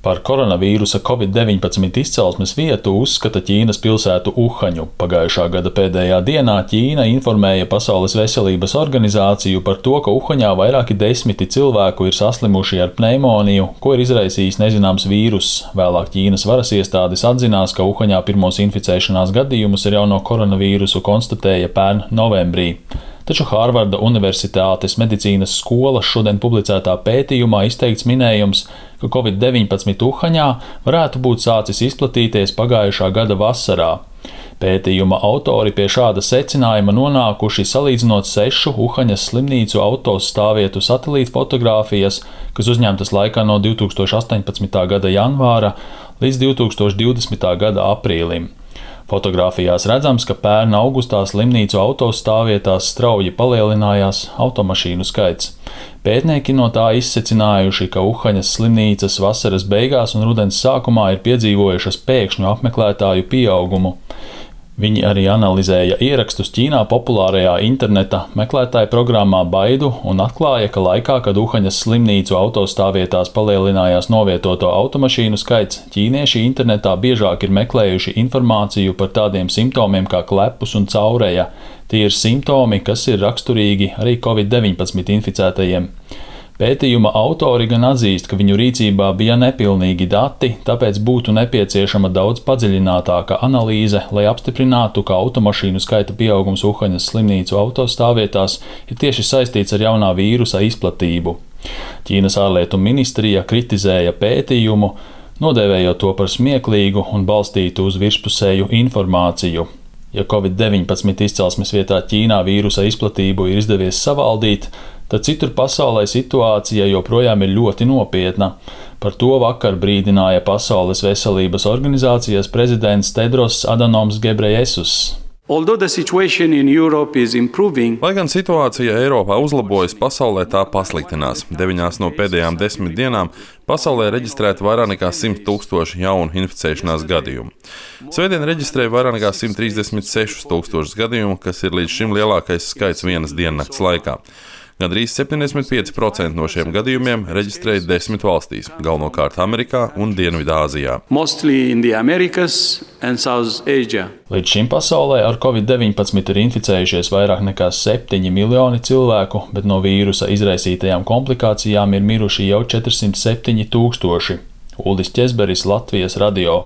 Par koronavīrusa COVID-19 izcelsmes vietu uzskata Ķīnas pilsētu Uhaņu. Pagājušā gada pēdējā dienā Ķīna informēja Pasaules veselības organizāciju par to, ka Uhaņā vairāki desmiti cilvēku ir saslimuši ar pneimoniju, ko ir izraisījis nezināms vīruss. Vēlāk Ķīnas varas iestādes atzinās, ka Uhaņā pirmos inficēšanās gadījumus ar jauno koronavīrusu konstatēja pērn novembrī. Taču Hārvarda Universitātes medicīnas skolas šodien publicētā pētījumā izteikts minējums, ka COVID-19 Uhaņā varētu būt sācis izplatīties pagājušā gada vasarā. Pētījuma autori pie šāda secinājuma nonākuši salīdzinot 6 Uhaņas slimnīcu autostāvvietu satelīta fotogrāfijas, kas uzņemtas laikā no 2018. gada janvāra līdz 2020. gada aprīlim. Fotogrāfijās redzams, ka pērn augustā slimnīcu autostāvvietās strauji palielinājās automašīnu skaits. Pētnieki no tā izsecinājuši, ka Uhaņas slimnīcas vasaras beigās un rudens sākumā ir piedzīvojušas pēkšņu apmeklētāju pieaugumu. Viņi arī analizēja ierakstus Ķīnā populārajā interneta meklētāju programmā Baidu un atklāja, ka laikā, kad Uhaņas slimnīcu autostāvvietās palielinājās novietoto automašīnu skaits, ķīnieši internetā biežāk ir meklējuši informāciju par tādiem simptomiem kā klepus un caureja. Tie ir simptomi, kas ir raksturīgi arī COVID-19 inficētajiem. Pētījuma autori gan atzīst, ka viņu rīcībā bija nepilnīgi dati, tāpēc būtu nepieciešama daudz padziļinātāka analīze, lai apstiprinātu, ka automašīnu skaita pieaugums Uhaņas slimnīcu autostāvvietās ir tieši saistīts ar jaunā vīrusa izplatību. Ķīnas ārlietu ministrija kritizēja pētījumu, nodēvējot to par smieklīgu un balstītu uz virspusēju informāciju. Ja COVID-19 izcelsmes vietā Ķīnā vīrusa izplatību ir izdevies savaldīt, tad citur pasaulē situācija joprojām ir ļoti nopietna. Par to vakar brīdināja Pasaules veselības organizācijas prezidents Tedros Adhanoms Ghebreyesus. Lai gan situācija Eiropā uzlabojas, pasaulē tā pasliktinās. 9 no pēdējām 10 dienām pasaulē reģistrēta vairāk nekā 100 000 jaunu inficēšanās gadījumu. Svētdien reģistrēja vairāk nekā 136 000 gadījumu, kas ir līdz šim lielākais skaits vienas diennakts laikā. Gandrīz 75% no šiem gadījumiem reģistrēja 10 valstīs, galvenokārt Amerikā un Dienvidāzijā. Līdz šim pasaulē ar COVID-19 ir inficējušies vairāk nekā 7 miljoni cilvēku, bet no vīrusa izraisītajām komplikācijām ir miruši jau 407 000. Uldis Ķezberis, Latvijas radio.